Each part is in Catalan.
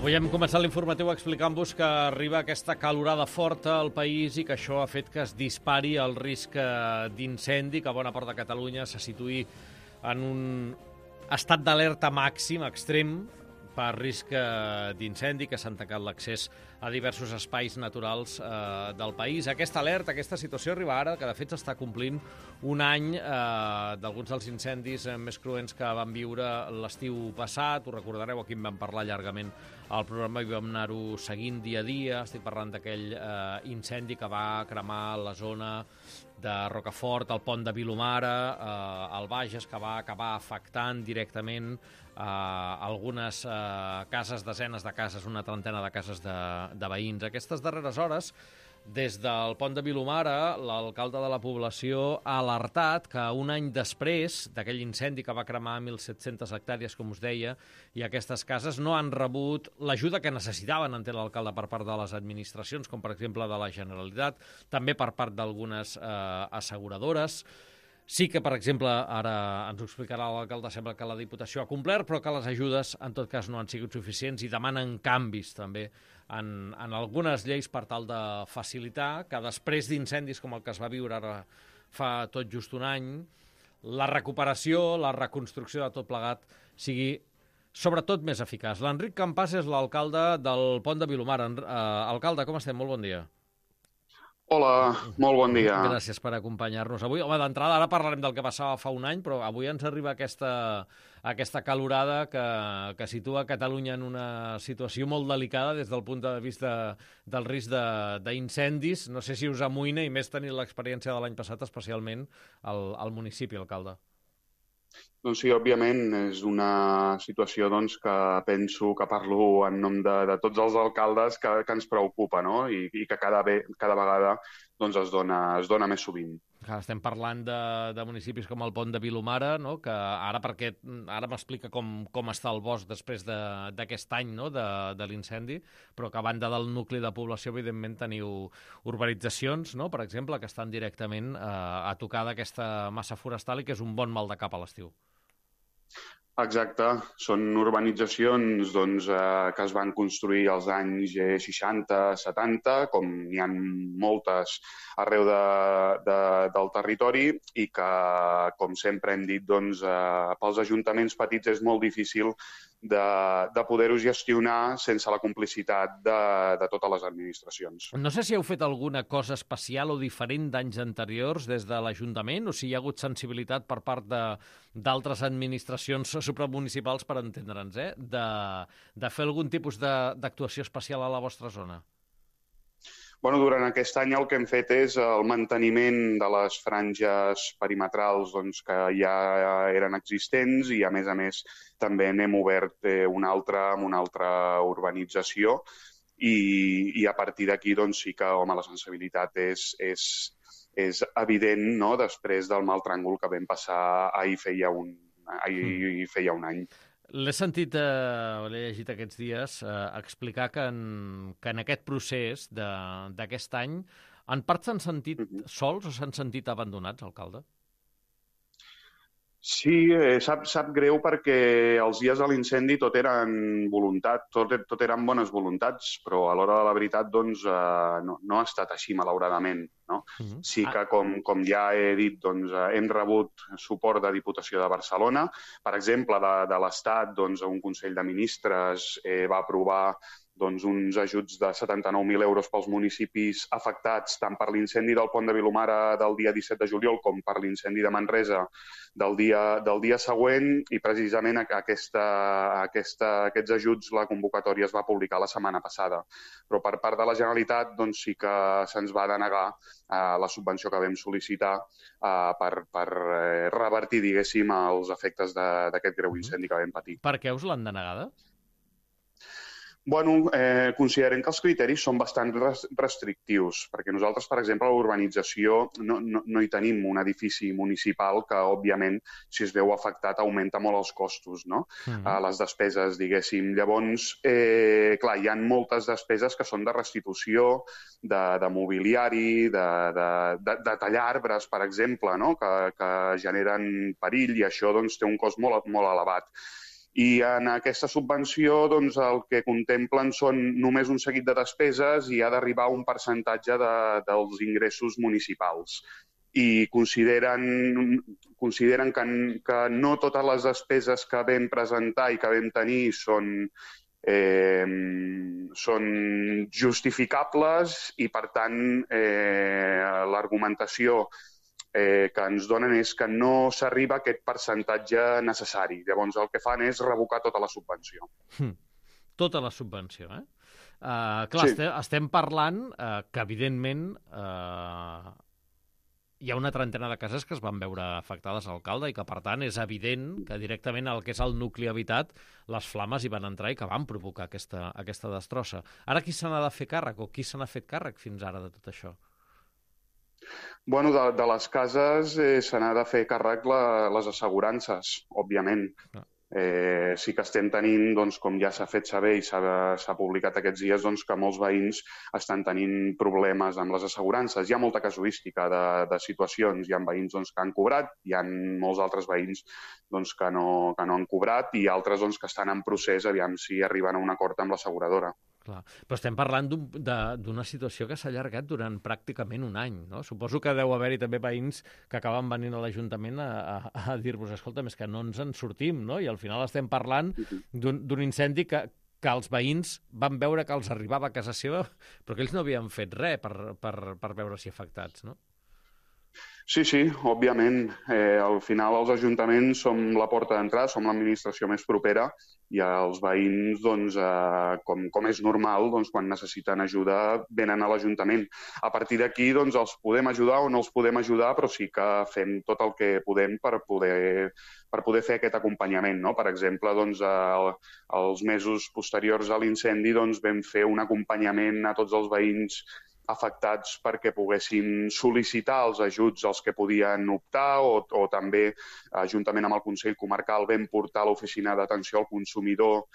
Avui hem començat l'informatiu explicant-vos que arriba aquesta calorada forta al país i que això ha fet que es dispari el risc d'incendi, que a bona part de Catalunya se situï en un estat d'alerta màxim, extrem, per risc d'incendi, que s'han tancat l'accés a diversos espais naturals del país. Aquesta alerta, aquesta situació arriba ara, que de fet s'està complint un any d'alguns dels incendis més cruents que vam viure l'estiu passat. Ho recordareu, aquí en vam parlar llargament al programa i vam anar-ho seguint dia a dia. Estic parlant d'aquell incendi que va cremar la zona de Rocafort, el pont de Vilomara, al Bages, que va acabar afectant directament algunes cases, desenes de cases, una trentena de cases de veïns. Aquestes darreres hores, des del pont de Vilomara, l'alcalde de la població ha alertat que un any després d'aquell incendi que va cremar 1.700 hectàrees, com us deia, i aquestes cases no han rebut l'ajuda que necessitaven, entén l'alcalde, per part de les administracions, com per exemple de la Generalitat, també per part d'algunes asseguradores. Sí que, per exemple, ara ens ho explicarà l'alcalde, sembla que la Diputació ha complert, però que les ajudes, en tot cas, no han sigut suficients i demanen canvis, també, en algunes lleis per tal de facilitar que després d'incendis com el que es va viure ara fa tot just un any, la recuperació, la reconstrucció de tot plegat sigui sobretot més eficaç. L'Enric Campàs és l'alcalde del pont de Vilomara. Alcalde, com estem? Molt bon dia. Hola, molt bon dia. Gràcies per acompanyar-nos avui. Home, d'entrada, ara parlarem del que passava fa un any, però avui ens arriba aquesta calorada que situa Catalunya en una situació molt delicada des del punt de vista del risc d'incendis. No sé si us amoïna, i més tenint l'experiència de l'any passat, especialment al municipi, alcalde. Doncs sí, òbviament, és una situació que penso que parlo en nom de tots els alcaldes que ens preocupa, no? I que cada vegada es dona més sovint. Estem parlant de municipis com el pont de Vilomara, no? Que ara m'explica com està el bosc després d'aquest any, no? de l'incendi, però que a banda del nucli de població, evidentment, teniu urbanitzacions, no? Per exemple, que estan directament a tocar d'aquesta massa forestal i que és un bon mal de cap a l'estiu. Exacte, són urbanitzacions que es van construir als anys 60-70, com n'hi ha moltes arreu del territori, i que, com sempre hem dit, pels ajuntaments petits és molt difícil de poder-ho gestionar sense la complicitat de totes les administracions. No sé si heu fet alguna cosa especial o diferent d'anys anteriors des de l'Ajuntament, o si hi ha hagut sensibilitat per part d'altres administracions supramunicipals, per entendre'ns, de fer algun tipus d'actuació especial a la vostra zona. Durant aquest any el que hem fet és el manteniment de les franges perimetrals que ja eren existents, i a més també n'hem obert una altra urbanització, i a partir d'aquí sí que la sensibilitat és evident, no?, després del mal tràngol que vam passar ahir feia un any. L'he sentit, l'he llegit aquests dies, explicar que en aquest procés d'aquest any, en part s'han sentit sols o s'han sentit abandonats, alcalde? Sí, sap greu perquè els dies de l'incendi tot eren voluntat, tot eren bones voluntats, però a l'hora de la veritat no ha estat així, malauradament. No? Sí que, com ja he dit, hem rebut suport de Diputació de Barcelona. Per exemple, de l'Estat, un Consell de Ministres va aprovar uns ajuts de 79.000 euros pels municipis afectats tant per l'incendi del pont de Vilomara del dia 17 de juliol com per l'incendi de Manresa del dia següent, i precisament aquests ajuts, la convocatòria es va publicar la setmana passada. Però per part de la Generalitat sí que se'ns va denegar la subvenció que vam sol·licitar per revertir, diguéssim, els efectes d'aquest greu incendi que vam patir. Per què us l'han denegada? Considerem que els criteris són bastant restrictius, perquè nosaltres, per exemple, a l'urbanització no hi tenim un edifici municipal que, òbviament, si es veu afectat, augmenta molt els costos, no? Les despeses, diguéssim. Llavors, clar, hi ha moltes despeses que són de restitució, de mobiliari, de tallar arbres, per exemple, no?, que generen perill, i això té un cost molt elevat. I en aquesta subvenció doncs, el que contemplen són només un seguit de despeses i ha d'arribar a un percentatge dels ingressos municipals. I consideren que no totes les despeses que vam presentar i que vam tenir són justificables i, per tant, l'argumentació que ens donen és que no s'arriba a aquest percentatge necessari. Llavors, el que fan és revocar tota la subvenció. Tota la subvenció, eh? Clar, sí. Estem parlant que, evidentment, hi ha una trentena de cases que es van veure afectades, alcalde, i que, per tant, és evident que directament el que és el nucli habitat, les flames hi van entrar i que van provocar aquesta destrossa. Ara qui se n'ha de fer càrrec o qui se n'ha fet càrrec fins ara de tot això? Bueno, de les cases se n'ha de fer càrrec les assegurances, òbviament. Sí que estem tenint, doncs, com ja s'ha fet saber i s'ha publicat aquests dies, doncs, que molts veïns estan tenint problemes amb les assegurances. Hi ha molta casuística de situacions. Hi ha veïns doncs, que han cobrat, hi ha molts altres veïns doncs, que no han cobrat i altres doncs, que estan en procés, aviam si arriben a un acord amb l'asseguradora. Clar. Però estem parlant d'una situació que s'ha allargat durant pràcticament un any, no? Suposo que deu haver-hi també veïns que acaben venint a l'Ajuntament a dir-vos, escolta, és que no ens en sortim, no? I al final estem parlant d'un incendi que els veïns van veure que els arribava a casa seva, però que ells no havien fet res per veure-s'hi afectats, no? Sí, òbviament. Al final els ajuntaments som la porta d'entrada, som l'administració més propera i els veïns, doncs, com és normal, doncs, quan necessiten ajuda, venen a l'Ajuntament. A partir d'aquí, doncs, els podem ajudar o no els podem ajudar, però sí que fem tot el que podem per poder fer aquest acompanyament, no? Per exemple, doncs, els mesos posteriors a l'incendi doncs, vam fer un acompanyament a tots els veïns afectats perquè poguessin sol·licitar els ajuts als que podien optar o també, juntament amb el Consell Comarcal, vam portar a l'Oficina d'Atenció al Consumidor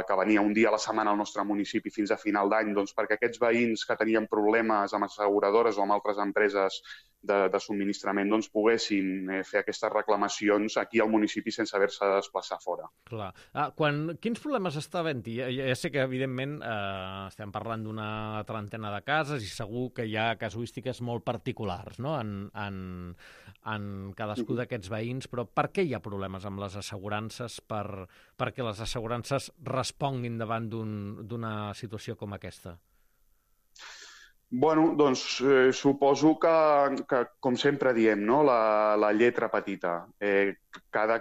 que venia un dia a la setmana al nostre municipi fins a final d'any, doncs perquè aquests veïns que tenien problemes amb asseguradores o amb altres empreses de subministrament doncs, poguessin fer aquestes reclamacions aquí al municipi sense haver-se de desplaçar fora. Clar. Quins problemes està havent-hi? Ja sé que, evidentment, estem parlant d'una trentena de cases i segur que hi ha casuístiques molt particulars, no? en cadascú d'aquests veïns, però per què hi ha problemes amb les assegurances perquè les assegurances responguin davant d'una situació com aquesta? Bueno, doncs suposo que com sempre diem, no? La lletra petita. Cada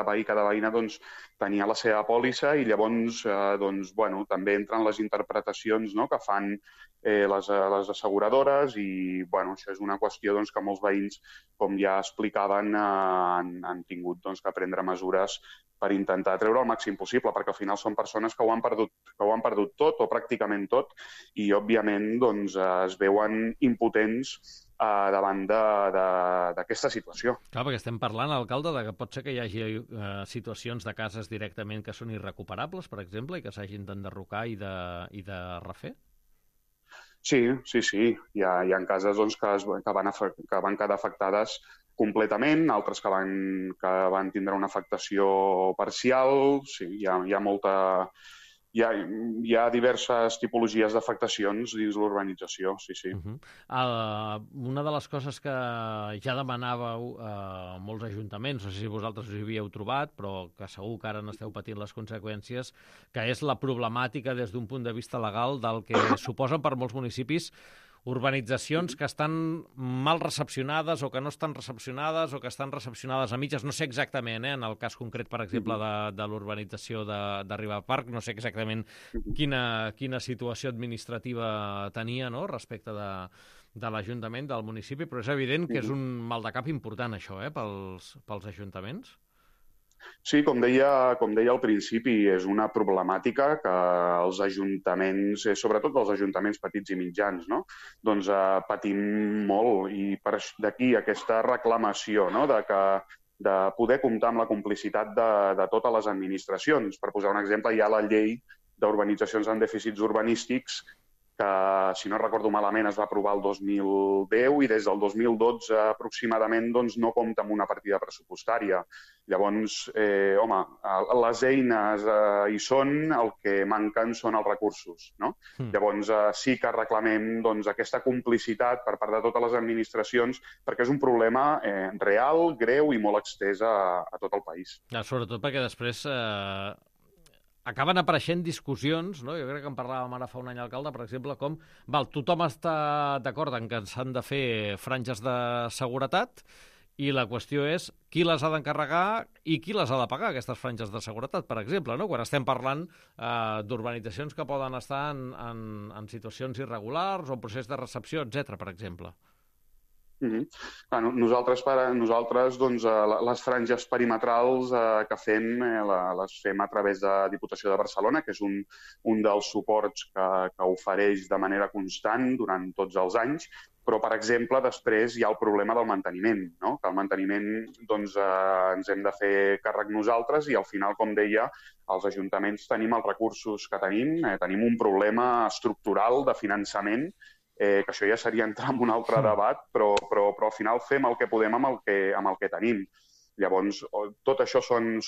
veí, cada veïna doncs, tenia la seva pòlissa i llavors doncs, bueno, també entren les interpretacions, no? Que fan les asseguradores i bueno, això és una qüestió doncs, que molts veïns, com ja explicaven, han tingut doncs, que prendre mesures per intentar treure el màxim possible, perquè al final són persones que ho han perdut tot o pràcticament tot i, òbviament, doncs, es veuen impotents davant d'aquesta situació. Clar, perquè estem parlant, alcalde, que pot ser que hi hagi situacions de cases directament que són irrecuperables, per exemple, i que s'hagin d'enderrocar i de refer? Sí. Hi ha cases doncs, que van quedar afectades completament, altres que van tindre una afectació parcial. Sí, hi ha molta... Hi ha diverses tipologies d'afectacions dins l'urbanització, sí. Una de les coses que ja demanàveu molts ajuntaments, no sé si vosaltres us hi havíeu trobat, però que segur que ara n'esteu patint les conseqüències, que és la problemàtica des d'un punt de vista legal del que suposen per molts municipis urbanitzacions que estan mal recepcionades o que no estan recepcionades o que estan recepcionades a mitges. No sé exactament, en el cas concret, per exemple, de l'urbanització de Ribaparc, no sé exactament quina situació administrativa tenia, no?, respecte de l'Ajuntament, del municipi, però és evident que és un mal de cap important, això, pels ajuntaments. Sí, com deia al principi, és una problemàtica que els ajuntaments, sobretot els ajuntaments petits i mitjans, no? Doncs patim molt i d'aquí aquesta reclamació, no? de poder comptar amb la complicitat de totes les administracions. Per posar un exemple, hi ha la llei d'urbanitzacions amb dèficits urbanístics que, si no recordo malament, es va aprovar el 2010 i des del 2012 aproximadament doncs, no compta amb una partida pressupostària. Llavors, les eines hi són, el que manquen són els recursos, no? Llavors, sí que reclamem doncs, aquesta complicitat per part de totes les administracions, perquè és un problema real, greu i molt estès a tot el país. Sobretot perquè després acaben apareixent discussions, no? Jo crec que en parlàvem ara fa un any alcalde, per exemple, com tothom està d'acord en que s'han de fer franges de seguretat i la qüestió és qui les ha d'encarregar i qui les ha de pagar, aquestes franges de seguretat, per exemple, no? Quan estem parlant d'urbanitzacions que poden estar en situacions irregulars o procés de recepció, etc, per exemple. Nosaltres doncs, les franges perimetrals que fem les fem a través de Diputació de Barcelona, que és un dels suports que ofereix de manera constant durant tots els anys, però, per exemple, després hi ha el problema del manteniment, no? Que el manteniment doncs, ens hem de fer càrrec nosaltres i, al final, com deia, els ajuntaments tenim els recursos que tenim, tenim un problema estructural de finançament, que això ja seria entrar en un altre debat, però al final fem el que podem amb el que tenim. Llavors, tot això són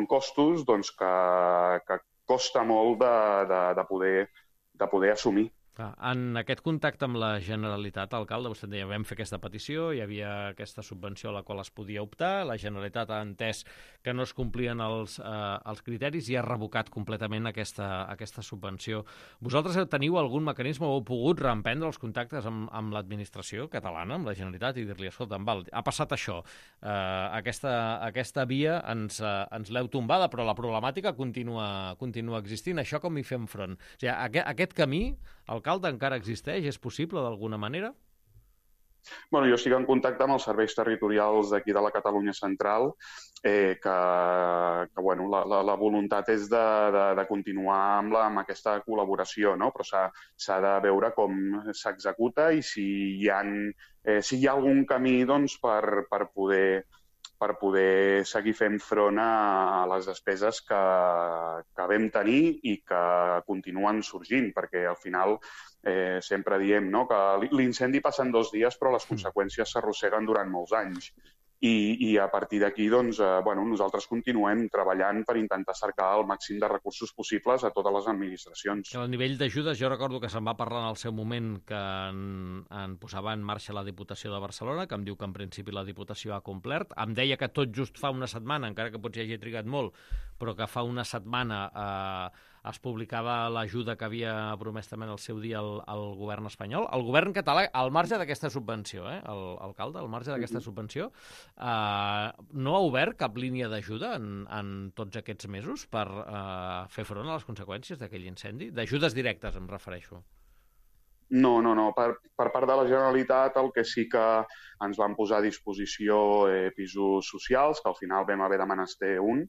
costos doncs, que costa molt de poder assumir. En aquest contacte amb la Generalitat, alcalde, vostè deia, vam fer aquesta petició, hi havia aquesta subvenció a la qual es podia optar, la Generalitat ha entès que no es complien els criteris i ha revocat completament aquesta subvenció. Vosaltres teniu algun mecanisme o heu pogut reemprendre els contactes amb l'administració catalana, amb la Generalitat, i dir-li, escolta, ha passat això, aquesta via ens l'heu tombada, però la problemàtica continua existint. Això com hi fem front? O sigui, aquest camí, alcalde, encara existeix? És possible d'alguna manera? Bueno, jo estic en contacte amb els serveis territorials d'aquí de la Catalunya Central, que la voluntat és de continuar amb aquesta col·laboració, no? Però s'ha de veure com s'executa i si hi ha algun camí doncs, per poder seguir fent front a les despeses que vam tenir i que continuen sorgint, perquè al final sempre diem, no?, que l'incendi passa en 2 dies però les conseqüències s'arrosseguen durant molts anys. I a partir d'aquí doncs, nosaltres continuem treballant per intentar cercar el màxim de recursos possibles a totes les administracions. A nivell d'ajudes, jo recordo que se'n va parlar en el seu moment que en posava en marxa la Diputació de Barcelona, que em diu que en principi la Diputació ha complert. Em deia que tot just fa una setmana, encara que potser hagi trigat molt, però que fa una setmana es publicava l'ajuda que havia promès també en el seu dia el govern espanyol. El govern català, al marge d'aquesta subvenció, alcalde, al marge d'aquesta subvenció, no ha obert cap línia d'ajuda en tots aquests mesos per fer front a les conseqüències d'aquell incendi? D'ajudes directes, em refereixo. No. Per part de la Generalitat el que sí que ens van posar a disposició pisos socials, que al final vam haver de menester un,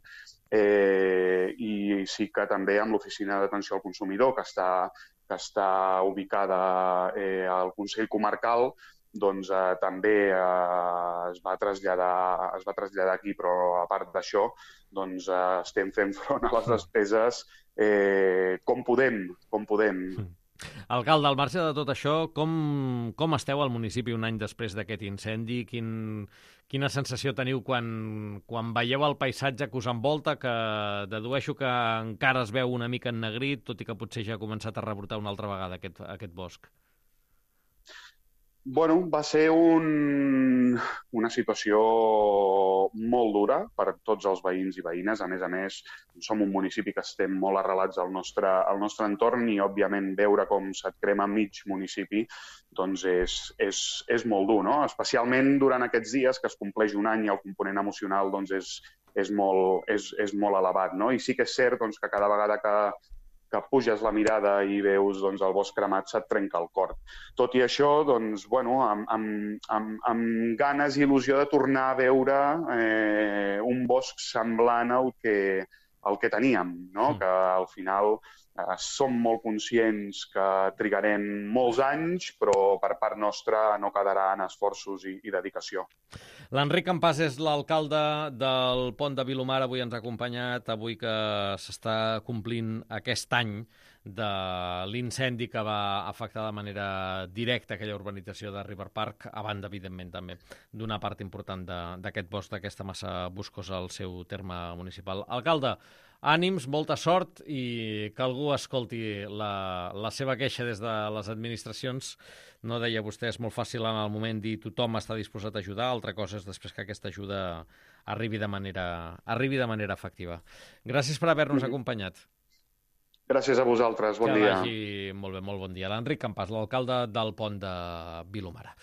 i sí que també amb l'Oficina d'Atenció al Consumidor, que està ubicada al Consell Comarcal, doncs també es va traslladar aquí, però a part d'això doncs estem fent front a les despeses com podem. Alcalde, al marge de tot això, com esteu al municipi un any després d'aquest incendi? Quina sensació teniu quan veieu el paisatge que us envolta, que dedueixo que encara es veu una mica ennegrit, tot i que potser ja ha començat a rebrotar una altra vegada aquest bosc? Bueno, va ser una situació molt dura per tots els veïns i veïnes. A més, som un municipi que estem molt arrelats al nostre entorn i, òbviament, veure com se't crema mig municipi doncs és molt dur, no? Especialment durant aquests dies que es compleix un any i el component emocional doncs, és molt elevat, no? I sí que és cert doncs, que cada vegada que puges la mirada i veus doncs, el bosc cremat, se't trenca el cor. Tot i això, doncs, amb ganes i il·lusió de tornar a veure un bosc semblant al que teníem, no? Que al final som molt conscients que trigarem molts anys, però per part nostra no quedarà en esforços i dedicació. L'Enric Campàs és l'alcalde del Pont de Vilomara, avui ens ha acompanyat, avui que s'està complint aquest any de l'incendi que va afectar de manera directa aquella urbanització de River Park, a banda, evidentment, també d'una part important d'aquest bosc, d'aquesta massa boscosa al seu terme municipal. Alcalde, ànims, molta sort i que algú escolti la seva queixa des de les administracions. No deia vostè, és molt fàcil en el moment dir tothom està disposat a ajudar, altra cosa és després que aquesta ajuda arribi de manera efectiva. Gràcies per haver-nos acompanyat. Gràcies a vosaltres, bon dia. Que vagi molt bé, molt bon dia. L'Enric Campàs, l'alcalde del Pont de Vilomara.